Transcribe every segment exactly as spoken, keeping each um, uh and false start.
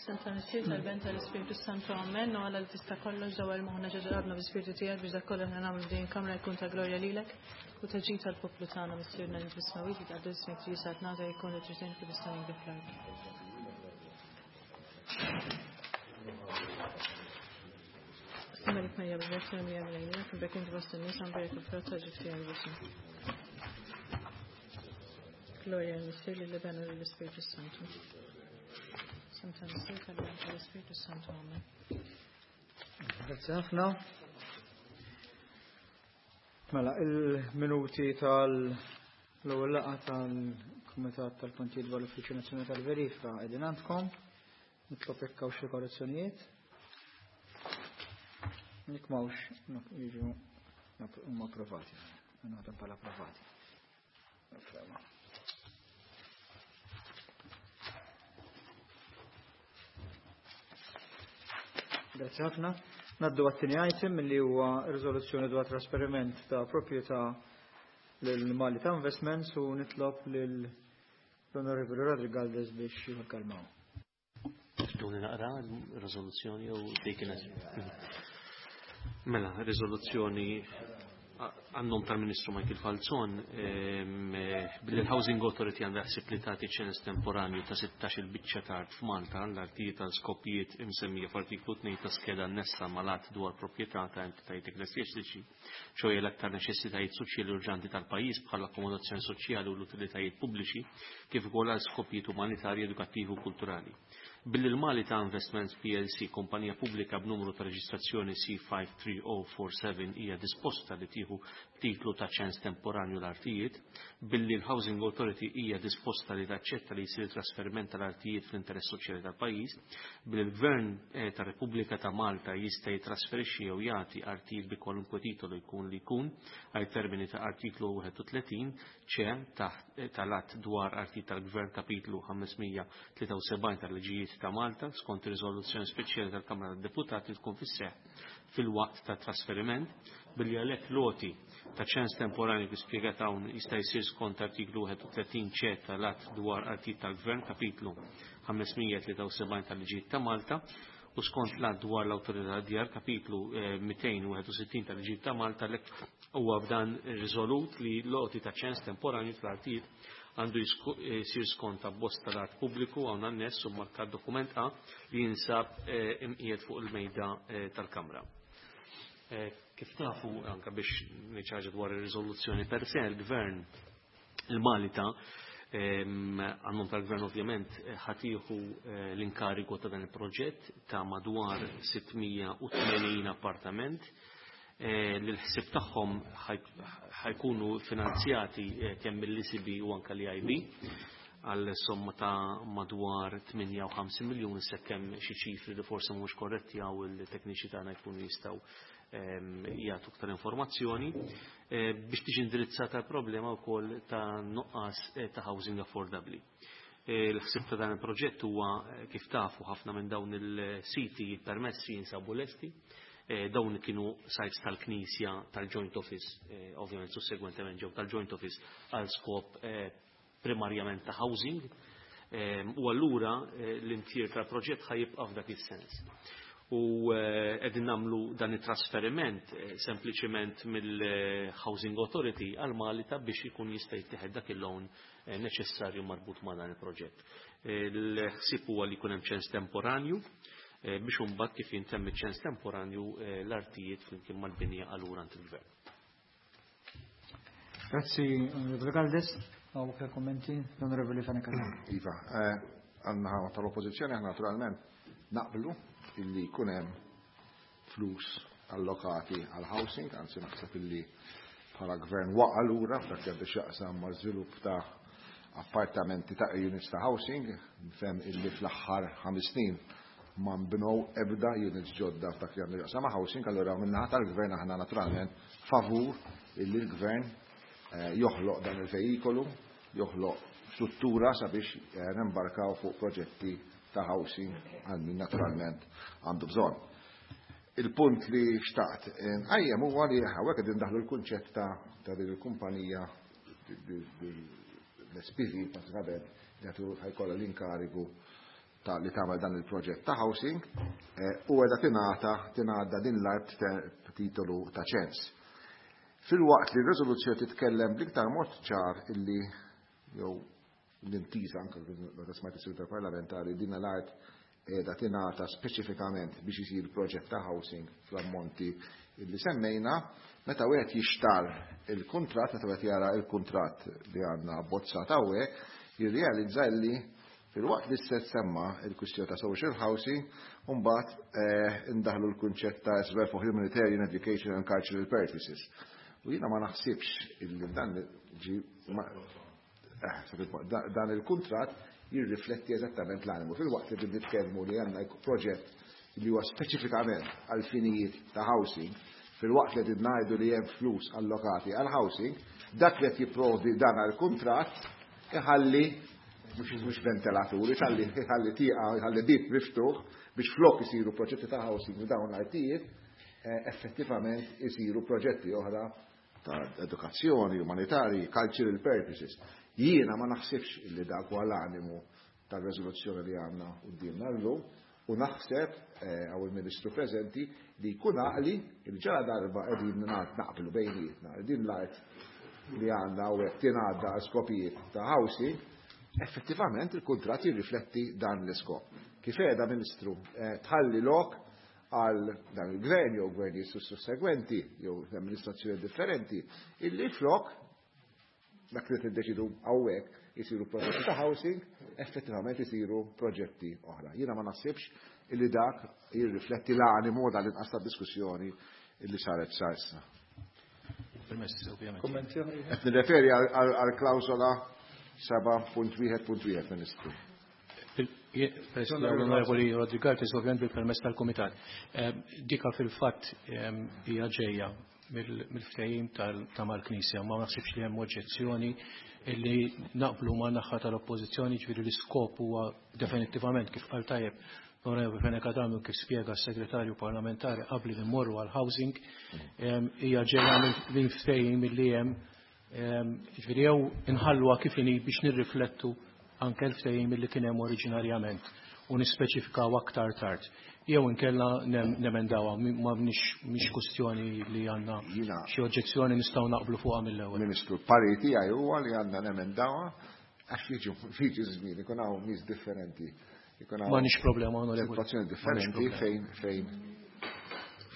F'isem tal-Missier, tal-Iben, tal-Ispirtu Santu, amen. U Alla li tista' kollox dawwar moħħna ġo qalbna bl-Ispirtu tiegħek biex dak kollu aħna nagħmlu f'din il-kamra jkun ta' glorja lilek u ta' ġid tal-poplu tagħna. Missierna li fis-smewwiet, jitqaddes ismek, tiġi saltnatek, jkun li trid int kif fis-sema kif fl-art. Malik Marija bil-Grazzja Mija Milejnija, kif inti fost in-nisa mberek il-frott tal-ġuf tiegħek Ġesù. Glorja lill-Missier, lill-Iben u lill-Ispirtu Santu. F'isem tal-Missier, tal-Iben, tal-Ispirtu Santu, amen. Grazzi ħafna. Mela, il-minuti tal-ewwel laqgħa tal-Kumitat tal-Kontijiet dwar l-Uffiċċju Nazzjonali tal-Verifika qegħdin għandkom. Nitlob jekk hawn xi korrezzjonijiet. Jekk m'hawnx jiġu huma approvati. Naħdem bħala approvati. Ferma. Grazzi ħafna. Naddu għat-tieni item li huwa riżoluzzjoni dwar trasferiment ta' proprjetà lil Malita Investments u nitlob lil l-Onorevoli Roderick Galdes biex jikkalmaw. Tuni naqra r-riżoluzzjoni jew dik kienet. Mela, riżoluzzjoni għan-nom tal-Ministru Michael Falzon, billi l-Housing Authority għandha ħsieb li tagħti ċens temporanju ta' sittax-il biċċa t'art f'Malta l-artijiet tal skopijiet imsemmija f'artiklu tnejn ta' skeda annessa mal-att dwar proprjetà ta' entitajiet ekklesjastiċi, ċoħe l-aktar neċessitajiet soċjali urġanti tal-pajjiż bħal akkomodazzjoni soċjali u l-utilitajiet pubbliċi, kif ukoll għal skopijiet umanitarji, edukattivi u kulturali. Billi l-Malita Investments P L C, kompanija pubblika b'numru ta' reġistrazzjoni C five three oh four seven, hija disposta li tieħu titlu ta' ċens temporanju l-artijiet, billi l-Housing Authority hija disposta li taċċetta li jsir trasferiment tal-artijiet fl-interess soċjali tal-pajjiż, billi l-Gvern, eh, tar-Repubblika ta' Malta jista' jitrasferixxi jew jagħti artijiet bi kwalunkwe titolu jkun li jkun għal termini ta' artiklu wieħed u tletin C taħt, eh, tal-att dwar artijiet tal-Gvern kapitlu ħamesmija tlieta u sebgħin tal-liġijiet ta' Malta skont riżoluzzjoni speċjali tal-Kamra tad-Deputati tkun fis-seħħ fil-waqt ta' trasferiment, billi għalhekk loti ta' ċens temporanju kif spjegat hawn jista' jsir skont artiklu wieħed u tletin C tal-att dwar artijiet tal-Gvern kapitlu ħamesmija tlieta u sebgħin tal-liġijiet ta' Malta u skont l-att dwar l-Awtorità tad-Djar kapitlu, eh, mitejn u wieħed u sittin tal-liġijiet ta' Malta. Għalhekk huwa f'dan riżolut li loti ta' ċens temporanju tal-artijiet għandu jisku-, eh, jsir skont abbozz tal-art pubbliku hawn anness u markat dokument A li jinsab, eh, imqiegħed fuq il-mejda, eh, tal-Kamra. Eh, kif tafu, anka biex niċċarġa dwar ir-riżoluzzjoni per se, il-Gvern il-Malita, ehm, għannom tal-Gvern ovvjament, eh, ħatiħu, eh, l-inkarigu ta' dan il-proġett ta' madwar sittmija u tmenin appartament, eh, li l-ħsieb tagħhom ħaj-, ħajkunu finanzjati, eh, kemm mill-E C B u anka l-E I B għal somma ta' madwar tmienja u ħamsin miljun, sakemm xi ċifri li forsi mhux korretti għaw il-tekniċi tagħna jkunu jistgħu, ehm, jagħtu aktar informazzjoni, eh, biex tiġi indirizzata l-problema wkoll ta' nuqqas, eh, ta' housing affordabbli. Eh, l-ħsieb ta' dan il-proġett huwa, eh, kif tafu ħafna minn dawn il-siti permessi jinsabu lesti. Eh, dawn kienu sites tal-Knisja tal-Joint Office, eh, ovvjament sussegwentement ġew tal-Joint Office għal skop, eh, primarjament ta' housing, eh, u allura, eh, l-intier tal-proġett ħajibqa' f'dak is-sens. U, eh, qegħdin nagħmlu dan it-trasferiment, eh, sempliċement mill-Housing Authority għal Malta biex ikun jista' jittieħed dak il-loan, eh, neċessarju marbut ma' dan il-proġett. Eh, l-ħsieb huwa li jkun hemm ċens temporanju, eh, biex imbagħad kif jintemm iċ-ċens temporanju, eh, l-artijiet flimkien mal-binja allura għand il-Gvern. Grazzi, Onorevoli Galdes. Hawn aktar kummenti, l-Onorevoli Fenech Adami. Iva, eh, għandna tal-Oppożizzjoni aħna naturalment naqblu illi jkun hemm flus allokati għal housing, anzi naħseb illi bħala gvern waqa' lura f'dak li għandu x'jaqsam ma' żvilupp ta' appartamenti ta' units ta' housing, nifhem illi fl-aħħar ħames snin ma nbnew ebda units ġodda f'dak li għandu x'jaqsam ma' housing, allura min-naħa tal-gvern aħna naturalment favur illi l-gvern, eh, joħloq dan il-vejikolu, joħloq struttura sabiex, eh, nembarkaw fuq proġetti ta' housing għal min naturalment għandu bżonn. Il-punt li xtaqt nqajjem huwa li hawnhekk qegħdin ndaħlu l-kunċett ta', ta' din il-kumpanija l-S P V pratikament li għatu ħajkollha l-inkarigu ta' li tagħmel dan il-proġett ta' housing eh, u qiegħda tingħata tingħadda din l-art titolu ta' ċens. Filwaqt li r-riżoluzzjoni titkellem bl-iktar mod ċar illi jew l-intiża anke meta smajt is-Segretar Parlamentari, din l-art qiegħda tingħata speċifikament biex isir proġett ta' housing fl-ammonti illi semmejna, meta wieħed jixtar il-kuntratt, meta wieħed jara il-kuntratt li għandna abbozzat hawnhekk, jirrealizza li filwaqt li se semma il-kwistjoni ta' social housing, mbagħad eh, indaħlu l-kunċett ta' as well for humanitarian, education and cultural purposes. U jiena ma naħsibx illi dan ġi eh, dan il-kuntratt jirrifletti eżattament l-animu. Filwaqt li nitkellmu li għandna proġett li huwa speċifikament għal finijiet ta' housing, filwaqt li qed ngħidu li hemm flus allokati għal housing, dak li qed jipprovdi dan għal-kuntratt iħalli mhux mhux ventilaturi, tħalli iħalli tieqa, iħalli bib miftuħ biex flok isiru proġetti ta' housing u dawn l-artijiet, eh, effettivament isiru proġetti oħra ta' edukazzjoni, umanitari, cultural purposes. Jiena ma naħsibx illi dak huwa l-animu tal-reżoluzzjoni li għandna quddiemna llum u naħseb eh, hawn il-Ministru preżenti li jkun għaqli il ġara darba qegħdin naqblu bejnietna din l-art li għandna u qed tingħadda għal skopijiet ta' housing, effettivament il-kuntratt jirrifletti dan l-iskop. Kif qiegħda, Ministru, eh, tħalli lok għal dan il-gvern jew gvernijiet sussegwenti jew amministrazzjoni differenti illi flok dak li tiddeċidu hawnhekk isiru proġetti ta' housing, effettivament isiru proġetti oħra. Jiena ma naħsibx illi dak jirrifletti l-animu dal-inqas ta' diskussjoni illi saret sa issa. Permess, ovvjament. Kommenti oħra? Qed nirreferi għal klawsola seba' punt wieħed punt wieħed, Ministru. President, Onorevoli Rodriguez, ovvjament bil-permess tal-Komitat. Eh, Dika fil-fatt eh, hija ġejja mill-ftehim ta' mal-Knisja, ma naħsibx li hemm oġġezzjoni illi naqblu ma' naħa tal-Oppożizzjoni, ġifieri l-iskop huwa definittivament kif qal tajjeb l-Onorevoli Fenech Adami u kif spjega s-Segretarju Parlamentari qabli li mmorru għal-housing, hija ġejja mill-ftehim illi hemm, ġifieri jew inħalluha kif inhi biex nirriflettu anke l-ftehim li kien hemm oriġinarjament u nispeċifikaw aktar tard. Jew inkella nemendawha, ma mhix kwestjoni li għandna xi oġġezzjoni, nistgħu naqblu fuqha mill-ewwel. Ministru, parir tiegħi huwa li għandna nemendawha għax jiġu jiġi żmien ikun hawn nies differenti. M'għandix problema, onorevoli. Situazzjoni differenti fejn fejn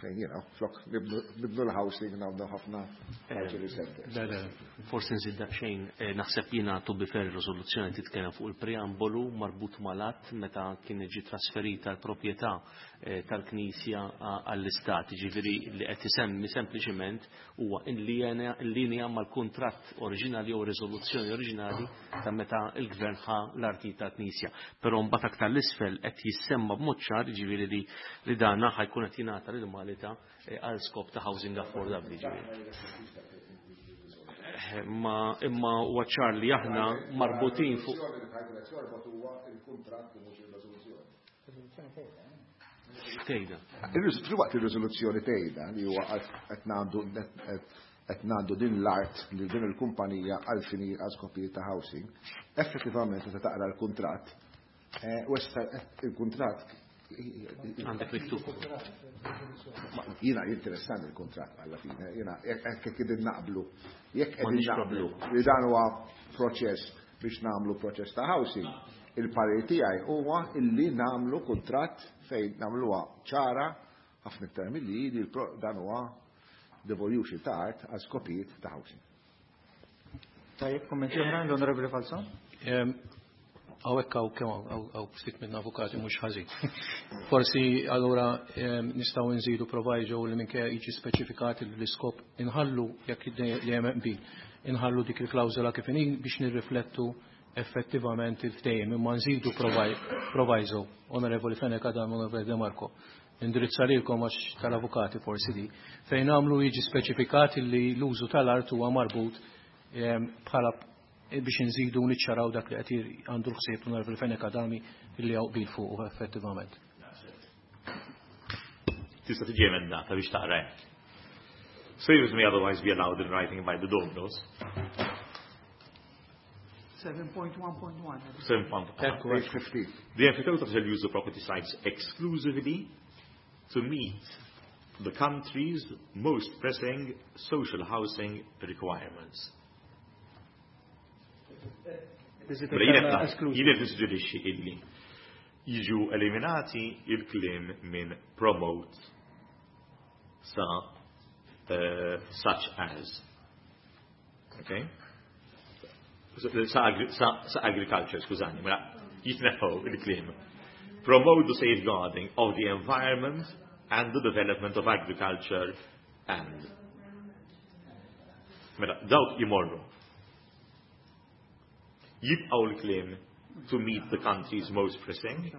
fejn jiena flok nibnu l-housing nagħmlu ħafna cultural centers. Forsi nżid daqsxejn, eh, naħseb jiena, to be fair, riżoluzzjoni titkellem fuq il-preambolu marbut mal-att meta kien ġi trasferita l-proprjetà eh, tal-Knisja għall-Istat. Ġifieri li qed isemmi sempliċiment huwa in linja mal-kuntratt oriġinali jew riżoluzzjoni oriġinali ta' meta l-Gvern ħa l-arti tal-Knisja. Però mbagħad aktar l-isfel qed jissemma b'mod ċar, ġifieri li li dana ħa jkun qed jingħata lil Malta eh, għal skop ta' housing affordabli, ġifieri. Ma imma huwa ċar li aħna marbutin fuq Il-kuntratt u mhux ir-riżoluzzjoni. Tejda. Filwaqt ir-riżoluzzjoni tgħidha li huwa qed ngħandu qed ngħaddu din l-art li din il-kumpanija għal fini għal skopijiet ta' housing, effettivament meta taqra l-kuntratt, eh, u issa il-kuntratt Għandek miktub. Jiena jinteressani il-kuntratt alla fine, jiena jekk qegħdin naqblu, jekk qegħdin naqblu li dan huwa proċess biex nagħmlu proċess ta' housing, il-parir tiegħi huwa illi nagħmlu kuntratt fejn nagħmluha ċara ħafna iktar milli li dan huwa devolution ta' art għal skopijiet ta' housing. Tajjeb, kommenti oħra, l-Onorevoli Falzon? Hawnhekk hawn kemm hawn ftit minn avukati, mhux ħażin. Forsi allura nistgħu nżidu proviso li minkejja jiġi speċifikat l-iskop inħallu, jekk li hemm qbil, inħallu dik il-klawżola kif inhi biex nirriflettu effettivament il-ftehim, imma nżidu proviso, Onorevoli Fenech Adami, Onorevoli De Marco. Indirizza lilkom għax tal-avukati forsi di, fejn għamlu jiġi speċifikat li l-użu tal-art huwa marbut bħala biex nżidu niċċaraw dak li qed għandu l-ħsieb l-Onorevoli Fenech Adami li hawn qbil fuq effettivament. Tista' tiġi emendata biex taqra. Save may otherwise be allowed in writing by the donors. seven point one point one. seven point one. Page fifteen. The emphyteuta shall use the property sites exclusively to meet the country's most pressing social housing requirements. Jien qed nissuġġerixxi illi jiġu eliminati il-kliem minn promote sa uh, such as. Okay? Sa, sa, sa agriculture, skużani, mela jitneħħu il-kliem. Promote the safeguarding of the environment and the development of agriculture and. Mela, dawk jimorru. Jibqaw l-kliem to meet the country's most pressing.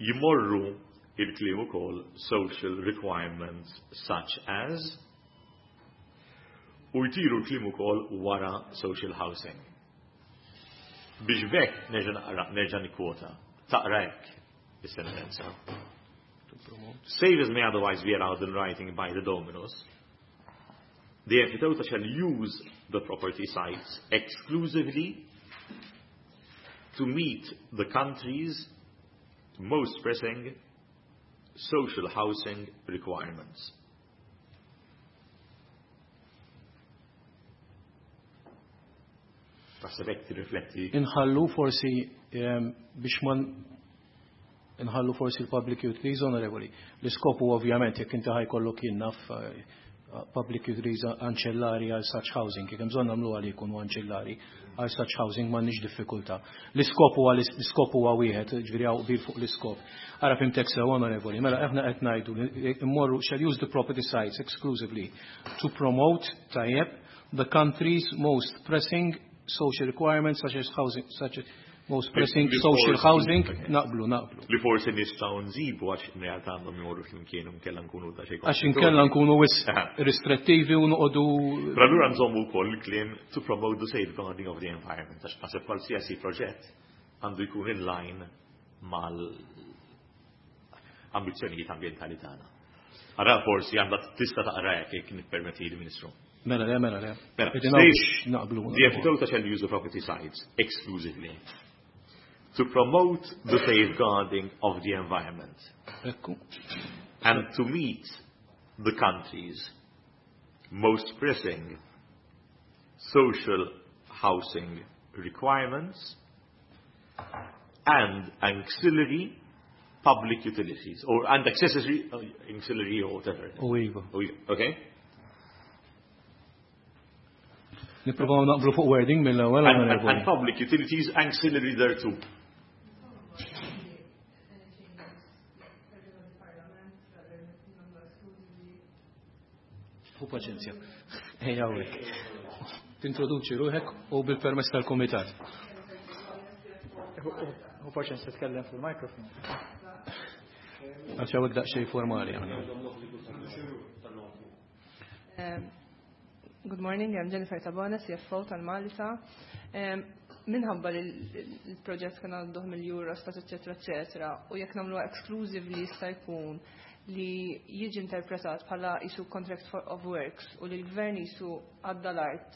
Jimorru il-kliem ukoll social requirements such as. U jtiru l-kliem ukoll wara social housing. Biex bekk nerġa' naqra, nerġa' nikkwota. Taqra hekk is-sentenza. Save as may otherwise be allowed in writing by the dominus. The emphyteuta shall use the property sites exclusively to meet the country's most pressing social housing requirements. Taħseb hekk tirrifletti. Inħallu forsi, ehm, biex ma nħallu forsi l-public utilities, onorevoli. L-iskopu ovvjament jekk inti ħajkollok jien naf, eh, public utilities ancillari għal such housing, jekk hemm bżonn nagħmlu għal jkunu ancillari għal such housing m'għandniex diffikultà. L-iskop huwa l-iskop huwa wieħed, ġifieri hawn qbil fuq l-iskop. Ara fimtek sew, onorevoli, mela aħna qed ngħidu li immorru shall use the property sites exclusively to promote tajjeb the country's most pressing social requirements such as housing, such as most pressing Li social forsi housing, okay. naqblu, naqblu. Li forsi nistgħu nżibu għax in realtà għandhom jmorru flimkien u nkella nkunu ta' xejn Għax inkella nkunu wisq Aha. restrittivi u noqogħdu. Però allura nżommu wkoll il-kliem to promote the safeguarding of the environment, għax naħseb qualsiasi proġett għandu jkun in line mal-ambizzjonijiet ambjentali tagħna. Ara forsi għandha tista' taqra hekk jekk nippermetti l-Ministru. Mela le, mela le. Mela, Qegħdin state hawnx naqblu, the naqblu. emphyteuta shall use the property sites exclusively to promote the safeguarding of the environment. Ekku. And to meet the country's most pressing social housing requirements and ancillary public utilities, or and accessory, uh, ancillary or whatever. U iva. U iva, okay? Nippruvaw naqblu fuq wording mill-ewwel, And, and, onorevoli. and public utilities ancillary thereto. Hu paċenzja. Ejja hawnhekk. Tintroduċi ruħek u bil-permess tal-kumitat. Hu paċenzja tkellem fil-mikrofon. Għax hawnhekk daqsxejn formali aħna. Um, Good morning, I'm Jennifer Tabona, C F O tal-Malta. Um, minħabba li l-proġett kien għadduh mill-Eurostat, eccetera, eccetera, u jekk nagħmluha exclusively jista' jkun li jiġi interpretat bħala isu contract for of works u li l-gvern isu għadda l-art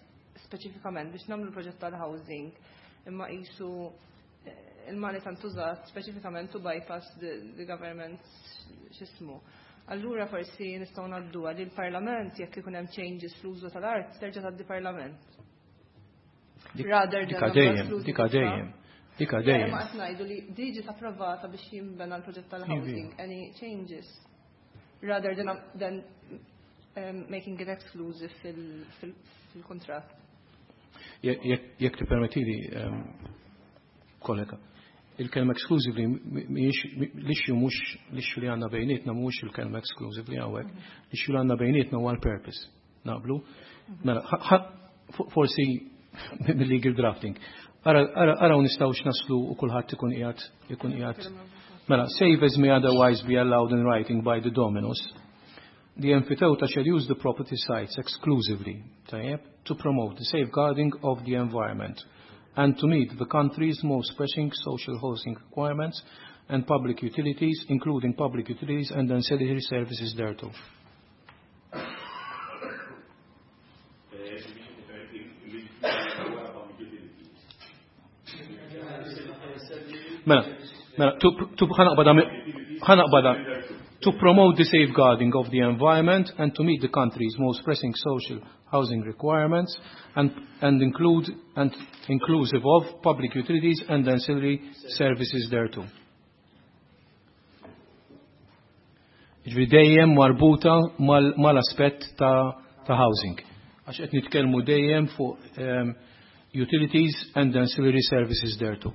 speċifikament biex nagħmlu l-proġett tal-housing, imma isu, eh, il-Malta ntużat speċifikament to bypass the, the government x'ismu. Allura forsi nistgħu ngħadduha li l-Parlament jekk ikun hemm changes fl-użu tal-art terġa' tgħaddi Parlament. Dik- Rather than Dika nagħmlu dejjem, exclusive dika ta' dejjem, dika Le, dejjem. ma qed ngħidu li diġi approvata biex jinbena l-proġett tal-housing, Ivi. any changes rather than, than, um, making it exclusive fil-, fil-, fil-kontratt. Jekk, jekk, jekk tippermettili, um, kollega, il-kelma exclusively mhijiex l-issue mhux l-issue li għandna bejnietna mhux il-kelma exclusively hawnhekk, l-issue li għandna bejnietna huwa l-purpose. Naqblu? Mela, ħa-, ħa-, fo-, forsi mill-legal drafting. Ara, ara, araw nistgħux naslu u kulħadd ikun qiegħed, ikun qiegħed. Mela, save as may otherwise be allowed in writing by the dominus. The emphyteuta shall use the property sites exclusively, tajjeb, to promote the safeguarding of the environment and to meet the country's most pressing social housing requirements and public utilities, including public utilities and ancillary services thereto. mela, mela, to, to, to promote the safeguarding of the environment and to meet the country's most pressing social housing requirements and, and include and inclusive of public utilities and ancillary services thereto. Ġifieri dejjem marbuta mal-aspett ta', ta' housing. Għax qed nitkellmu dejjem fuq um, utilities and ancillary services thereto.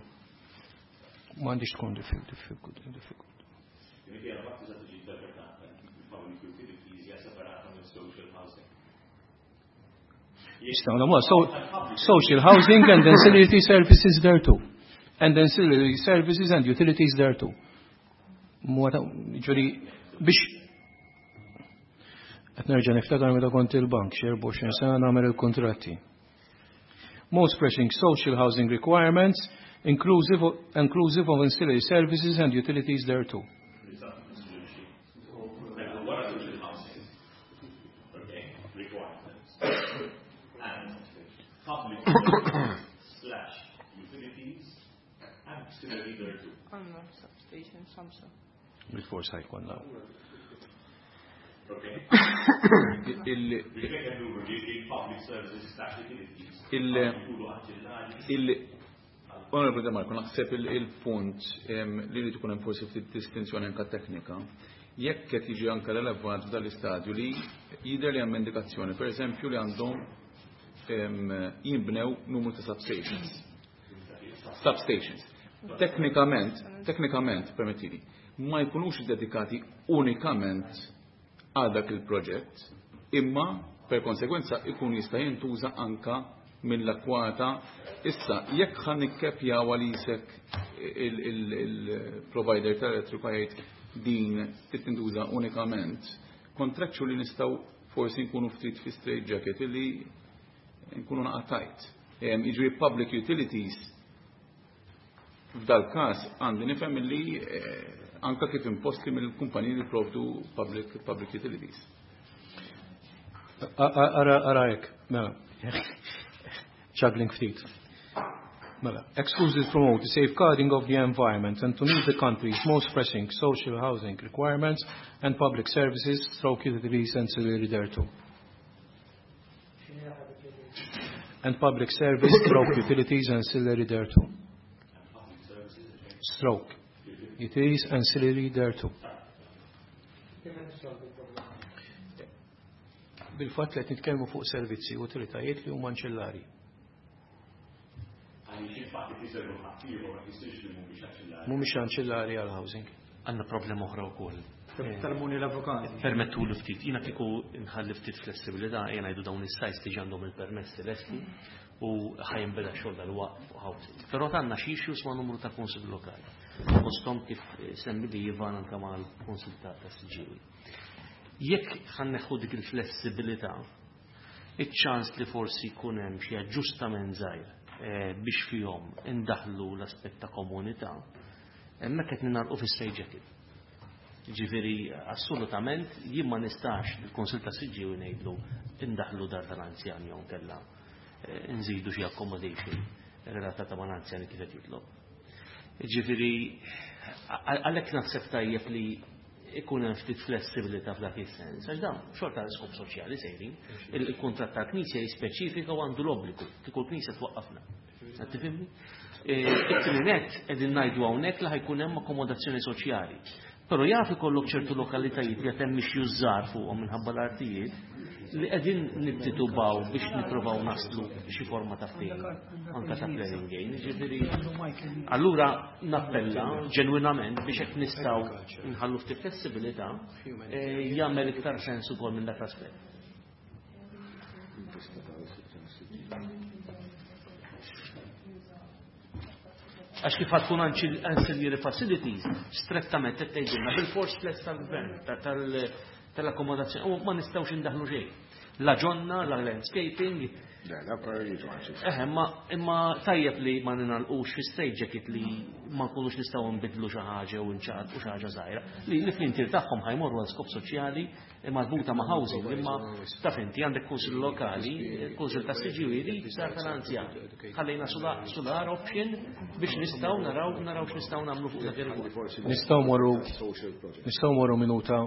M'għandix tkun difficult. Social housing and ancillary services thereto. And ancillary services and utilities thereto. Ġifieri biex qed nerġa' niftakar meta kont il-bank xi erbgħa u għoxrin sena nagħmel il-kuntratti. Most pressing social housing requirements inclusive of, inclusive of ancillary services and utilities thereto. Slash utilities ancillary thereto. Substation, Samsung. Bil-forsa jkollna. Il Onorevole De Marco, naħseb il-punt li li tkun hemm forsi ftit distinzjoni anke teknika, jekk qed jiġi anke relevat f'dan l-istadju li jidher li hemm indikazzjoni, pereżempju li għandhom jinbnew numru ta' substations. Substations. Teknikament, teknikament, permettili, ma jkunux dedikati unikament għal dak il-proġett, imma per konsegwenza ikun jista' jintuża anka mill-akwata. Issa, jekk ħan nikkepjaw għalisek il-provider tal-elettriku jgħid din tintuża unikament, contractually nistgħu forsi nkunu ftit fi straight jacket illi nkunu naqatajt. Jiġri public utilities f'dal każ għandi nifhem illi anka kif imposti mill-kumpaniji li provdu public, public utilities. Ara hekk, mela. Juggling ftit. Mela, exclusive promote the safeguarding of the environment and to meet the country's most pressing social housing requirements and public services, stroke utilities and ancillary thereto. And public service, stroke utilities and ancillary thereto. Stroke utilities ancillary thereto. Bil-fatt li qed nitkellmu fuq servizzi u utilitajiet li huma anċillari. Mhumiex anċillari għal housing. Għandna problema oħra wkoll. Talmuni l-avukati. Permettu li ftit, jiena kieku nħalli ftit flessibilità, jiena ngħidu dawn is-sajts li għandhom il-permessi lesti u ħajinbeda xogħol dal-waqt fuq housing. Però għandna xi issues ma' numru ta' kunsill lokali. Fosthom kif semmi li Ivan anke mal-kunsill ta' Siġġiewi. Jekk ħanneħħu dik il-flessibilità, iċ-ċans li forsi jkun hemm xi aġġustament żgħir biex fihom indaħlu l-aspett ta' komunità, hemmhekk qed ninarqu fis-straight jacket. Ġifieri assolutament jien ma nistax il-Kunsill ta' Siġġiewi ngħidlu indaħlu dar tal-anzjani jew kellha nżidu xi accommodation relatata mal-anzjani kif qed jitlob. Ġifieri għalhekk naħseb tajjeb li ikun hemm ftit flessibilità f'dak is-sens, għax dawn xorta l-iskop soċjali sejrin, il-kuntratt tal-Knisja jispeċifika u għandu l-obbligu kieku l-Knisja twaqqafna. Qed tifhimni? It-tieni nett qegħdin ngħidu hawnhekk li ħajkun hemm akkomodazzjoni soċjali. Però jaf ikollok ċertu lokalitajiet li qed hemm jużżar fuqhom minħabba l-artijiet li qegħdin nittitubaw biex nippruvaw naslu xi forma ta' ftehim anke ta' planning gain. Ġifieri allura nappella ġenwinament biex hekk nistgħu nħallu ftit flessibilità jagħmel iktar sens ukoll minn dak l-aspett. Għax kif tkun ancillary facilities, strettament qed tgħidilna bil-fors fless tal-gvern tal-akkomodazzjoni, u ma nistgħux indaħlu xejn. La ġonna, la landscaping, Le, le, priority one. Eħe, imma imma tajjeb li ma ninalqux fi straight jacket li ma nkunux nistgħu nbidlu xi ħaġa u nċaqalqu xi ħaġa żgħira. Li li fl-intier tagħhom ħa jmorru għal skop soċjali marbuta ma' housing, imma taf inti għandek kunsill lokali, kunsill ta' Siġġiewi li sar tal-anzjani. Ħallejna sular option biex nistgħu naraw naraw x'nistgħu nagħmlu fuq dak ir-rigward. Nistgħu morru nistgħu morru minuta.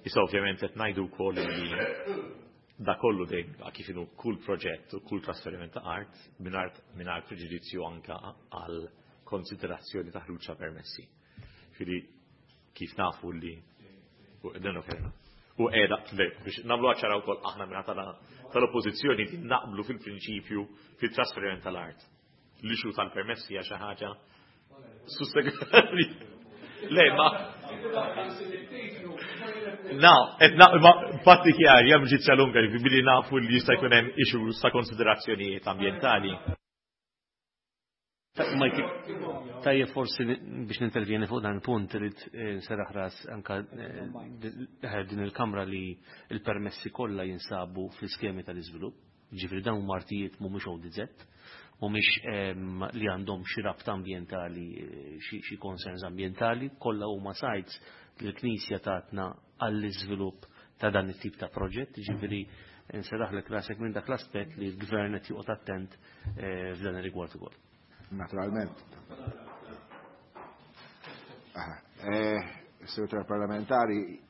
Issa ovvjament qed ngħidu wkoll li da kollu dejjem kif inhu kull proġett u kull trasferiment ta' art mingħajr mingħajr preġudizzju anka għal konsiderazzjoni ta' ħruġ ta' permessi. Ġifieri kif nafu li u dan kerna. U qiegħda biex nagħmlu ċara wkoll aħna minn tal-oppożizzjoni li naqblu fil-prinċipju fit-trasferiment tal-art. L-issue tal-permessi hija xi ħaġa sussegwenti. Le, ma. Na, et na, ma patti chiari, hemm ġizzja lunga billi nafu li jista' jkun hemm issues ta' konsiderazzjonijiet ambjentali. Tajjeb, forsi biex nintervjeni fuq dan il-punt, irid nserraħ ras anka din il-kamra li il-permessi kollha jinsabu fl-iskemi tal-iżvilupp. Ġifieri dawn huma artijiet mhumiex O D Z, mhumiex li għandhom xi rabta ambjentali, xi concerns ambjentali, kollha huma sites li l-Knisja tatna għall-iżvilupp ta' dan it-tip ta' proġett, ġifieri nserraħlek rasek minn dak l-aspett li l-gvern qed joqgħod attent f'dan ir-rigward ukoll. Naturalment. Segretarju parlamentari,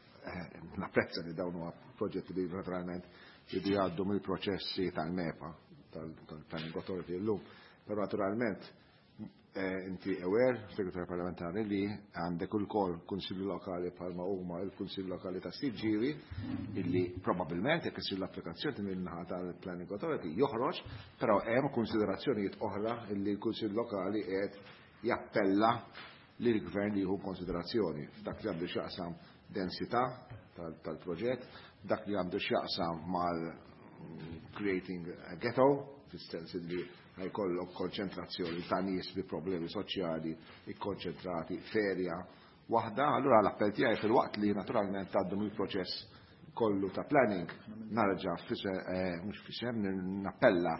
napprezza li dawn huwa proġetti li naturalment jridu jgħaddu mill-proċessi tal-MEPA, tal-Planning Authority llum, però naturalment inti aware, segretarju parlamentari, li għandek ukoll kunsilli lokali bħalma huma il-Kunsill Lokali ta' Siġġiewi, illi probabbilment jekk isir l-applikazzjoni min-naħa tal-Planning Authority joħroġ, però hemm konsiderazzjonijiet oħra illi l-Kunsill Lokali qed jappella lill gvern li jieħu konsiderazzjoni f'dak li għandu x'jaqsam densità tal-proġett, dak li għandu x'jaqsam mal creating a ghetto, fis-sens li ħa jkollok konċentrazzjoni ta' nies bi problemi soċjali ikkonċentrati f'erja waħda. Allura l-appell tiegħi, fil-waqt li naturalment tgħaddu mill-proċess kollu ta' planning, narġa' mhux fisem nappella,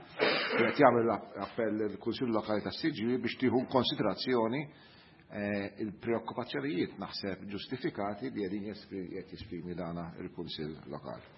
qed jagħmel appell il-Kunsill Lokali ta' Siġġiewi biex tieħu konsiderazzjoni il-preokkupazzjonijiet naħseb ġustifikati li qegħdin qed jesprimi dana il-Kunsill Lokali.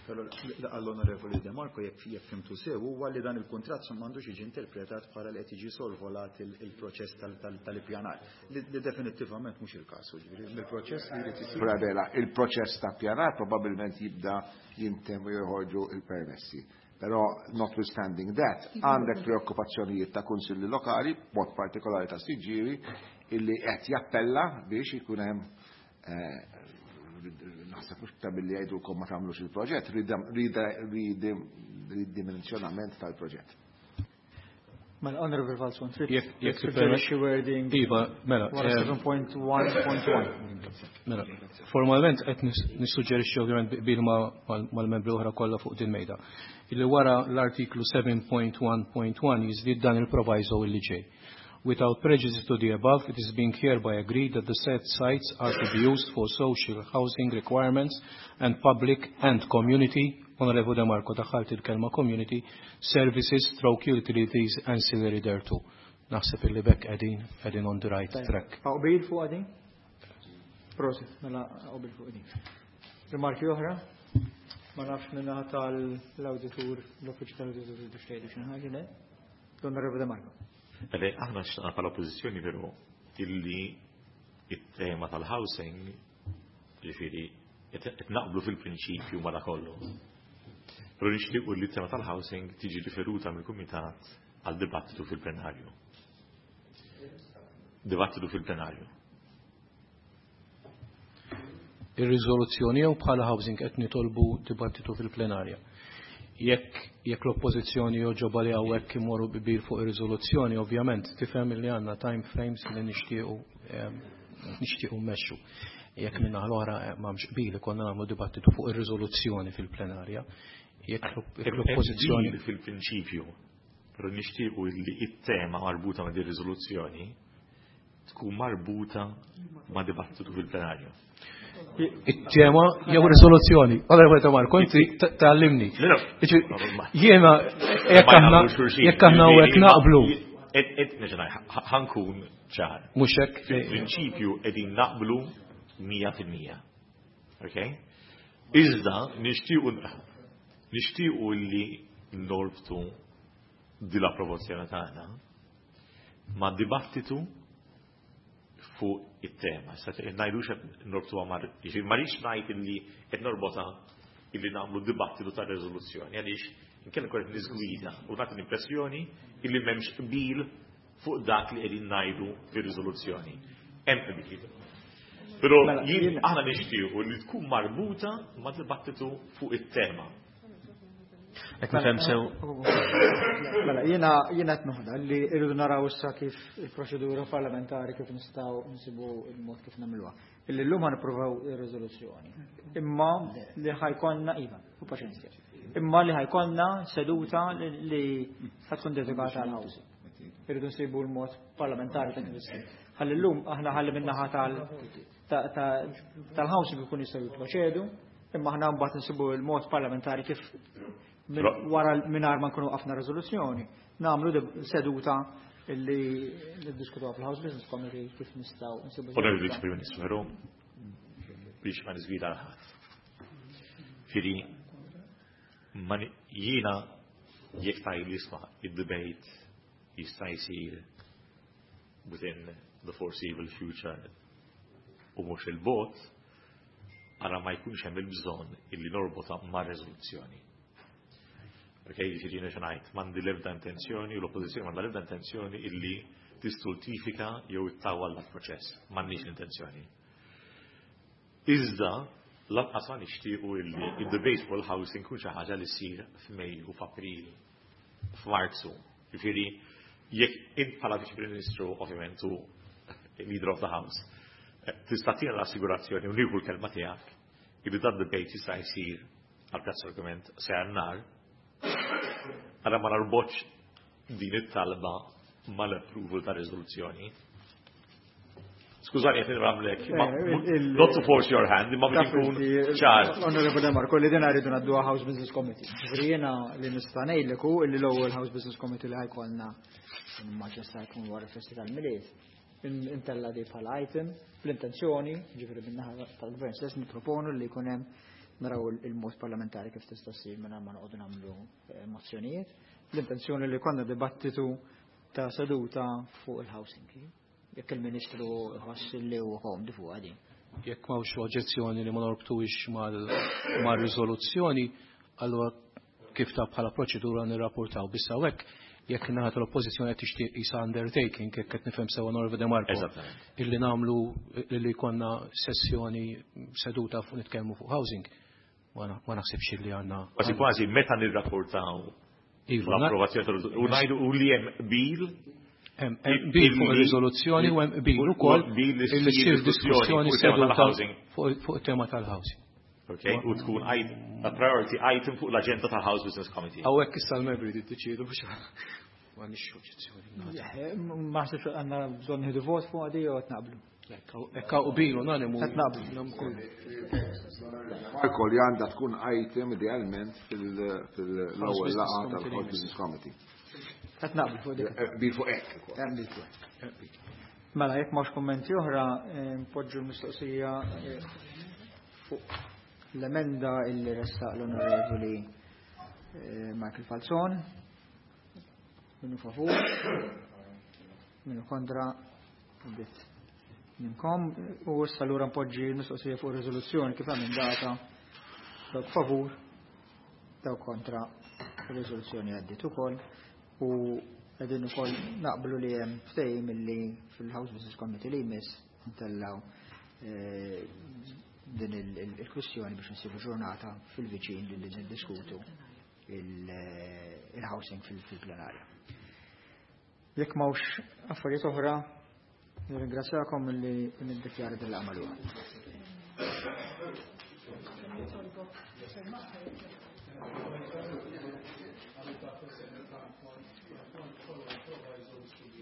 Però għall-Onorevoli De Marco, jekk jekk fhimtu sew, huwa li dan il-kuntratt m'għandux jiġi interpretat bħala li qed jiġi sorvolat il-proċess tal-ippjanar. Li definittivament mhux il-każ, ġifieri mill-proċess li jrid isir. Bella, il-proċess ta' pjanar probabbilment jibda jintemm u joħorġu il-permessi. Però notwithstanding that, għandek preokkupazzjonijiet ta' kunsilli lokali, mod partikolari ta' Siġġiewi, illi qed jappella biex ikun hemm, naħseb mhux ta' billi jgħidulkom ma tagħmlux il-proġett, ridimensjonament tal-proġett. Mela, Honorable Falzon, trid Jekk suġġerixxi wording Iva, mela. wara seba punt wieħed punt wieħed. Mela, formalment qed nissuġġerixxi, ovvjament bil mal-membri oħra kollha fuq din mejda, illi wara l-artiklu seba punt wieħed punt wieħed jiżdied dan il-proviso illi ġej. Without prejudice to the above, it is being hereby agreed that the said sites are to be used for social housing requirements and public and community, Onorevole De Marco, daħħalt il-kelma community, services stroke utilities ancillary thereto. Naħseb illi b'hekk qegħdin, qegħdin on the right track. Qbil fuq din? Prosit, mela qbil fuq din. Rimarki oħra? Ma nafx minnaħa tal-auditur, l-uffiċċju tal-auditur tixtieq xi ħaġa, le? L-Onorevole De Marco. Beh, aħna xtaqna bħala oppożizzjoni però illi it-tema tal-housing, ġifieri, qed naqblu fil-prinċipju ma kollu. Però nixtiequ li t-tema tal-housing tiġi riferuta mill-kumitat għal dibattitu fil-plenarju. Dibattitu fil-plenarju. Ir-riżoluzzjoni jew bħala housing qed nitolbu dibattitu fil-plenarja? Jekk jekk l-oppożizzjoni joġoba li hawnhekk imorru qbil fuq ir-riżoluzzjoni, ovvjament tifhem li għandna time frames li nixtiequ nixtiequ mmexxu. Jekk minna l-oħra m'hemmx qbil, konna nagħmlu dibattitu fuq ir-riżoluzzjoni fil-plenarja. Jekk l-oppożizzjoni Fil-prinċipju, però nixtiequ li it-tema marbuta ma' din riżoluzzjoni tkun marbuta ma' dibattitu fil-plenarju. It-tema jew riżoluzzjoni? Allora, Marko, inti tgħallimni. Jiena jekk aħna jekk aħna hekk naqblu. Ħa nkun ċar. Mhux hekk. Fil-prinċipju qegħdin naqblu mija fil-mija. Ok? Iżda nixtiequ nixtiequ li norbtu di l-approvazzjoni tagħna ma' dibattitu fuq it-tema. Issa ngħidux qed norbtuha mar, jiġifieri ma rridx ngħid illi qed norbotha illi nagħmlu dibattitu ta' riżoluzzjoni għaliex inkella nkun qed niżgwida u nagħti l-impressjoni illi m'hemmx qbil fuq dak li qegħdin ngħidu fir-riżoluzzjoni. Hemm qbil. Però Mela, jien jien- aħna nixtiequ li tkun marbuta ma' dibattitu fuq it-tema. Qed nifhem sew Mela, jiena jiena qed noħda li rridu naraw issa kif il-proċedura parlamentari kif nistgħu nsibu il-mod kif nagħmluha. Illi llum ħa nippruvaw ir-riżoluzzjoni. Imma li ħa jkollna iva, u paċenzja. Imma li ħa jkollna seduta li li ħa tkun dedikata għal housing. Irridu nsibu l-mod parlamentari ta' kif issir. Ħalli llum aħna ħalli min-naħa tal ta- ta- tal-housing ikun jistgħu jipproċedu, imma aħna mbagħad nsibu l-mod parlamentari kif minn Però- wara mingħajr ma nkunu waqafna riżoluzzjoni, nagħmlu deb- seduta illi niddiskutuha fil-House Business Committee kif nistgħu nsibu. Onorevoli Vice Prim Ministru, però biex ma niżgwida ħadd. Fieri, ma ni- jiena jekk tgħid li isma' id-debate jista' jsir within the foreseeable future u mhux il-bogħod, ara ma jkunx hemm il-bżonn illi norbotha ma' riżoluzzjoni. Ok, jiġifieri jiena xi ngħid, m'għandi l-ebda intenzjoni u l-oppożizzjoni m'għandha l-ebda intenzjoni illi tistultifika jew ittawwal l-proċess. M'għandniex l-intenzjoni. Iżda, lanqas ma nixtiequ illi id-debate fuq il-housing kun xi ħaġa li ssir f'Mejju, f'April, f'Marzu. Jiġifieri, jekk int bħala Viċi Prim Ministru, ovvjament, u leader of the house, eh, tista' tina l-assigurazzjoni u nieħu l-kelma tiegħek illi dan debate jista' jsir għal prezz argument se nar, għara ma narbotx din it-talba mal-approval ta' riżoluzzjoni. Skużani qed nramlek, ma- Eh, il- not to force your hand, imma biex nkun ċar. Onorevole Marco, li din rridu ngħadduha House Business Committee. Ġifieri jiena li nista' ngħidlek hu illi l-ewwel House Business Committee li ħa jkollna immaġina sta jkun wara festi tal-Milied. Intella di bħala item bl-intenzjoni, ġifieri min-naħa tal-Gvern stess nipproponu li jkun hemm naraw il-mod parlamentari kif tista' ssir mingħajr ma noqogħdu nagħmlu eh, mozzjonijiet. L-intenzjoni li konna dibattitu ta' seduta fuq il-housing. Jekk il-Ministru ħoss li huwa komdu fuq din. Jekk m'hawnx oġġezzjoni li ma norbtuhiex mal-riżoluzzjoni, allura kif ta' bħala proċedura nirrapportaw. Biss hawnhekk jekk naħa tal-oppożizzjoni qed tixtieq isa undertaking, jekk qed nifhem sewa Onorevole De Marco, Eżattament. illi nagħmlu illi jkollna sessjoni seduta fuq nitkellmu fuq housing, ma na- ma naħsibx li għandna. Kważi kważi meta nirrapportaw Iva, na- l-approvazzjoni tal u ngħidu u li hemm qbil Hemm hemm qbil fuq ir-riżoluzzjoni u hemm qbil ukoll qbil li illi ssir ssir diskussjoni fuq il-tema seduta tal-housing. fuq fuq it-tema tal-housing. Okay, u tkun a priority item fuq l-agenda tal-House Business Committee. Hawnhekk issa l-membri jiddeċiedu biex m'għandniex oġġezzjoni. Ma ħsibx għandna bżonn nieħdu vot fuq għadi jew qed naqblu. Hekk hawn qbil unanimu. Qed naqblu. Marko li għandha tkun item idealment fil-ewwel Business laqgħa Committee tal-House Business Committee. Qed naqblu fuq dik. Qbil fuq hekk ukoll. Hemm dik. Mela, jekk m'hawnx kummenti oħra, eh, npoġġu l-mistoqsija eh, fuq l-emenda illi ressaq l-Onorevoli eh, Michael Falzon. Minu favur, minu kontra, bit minkom. U issa allura npoġġi l-mistoqsija fuq ir-riżoluzzjoni kif emendata. Dawk favur, dawk kontra, ir-riżoluzzjoni għaddiet ukoll. U qegħdin ukoll naqblu li hemm ftehim illi fil-House Business Committee li jmiss ntellaw eh, din il- il- il-kwistjoni biex nsibu ġurnata fil-viċin li niddiskutu il- il-housing fil- fil-plenarja. Jekk m'hawnx affarijiet oħra, nirringrazzjakom li niddikjara din l-għamaluha. Thank you.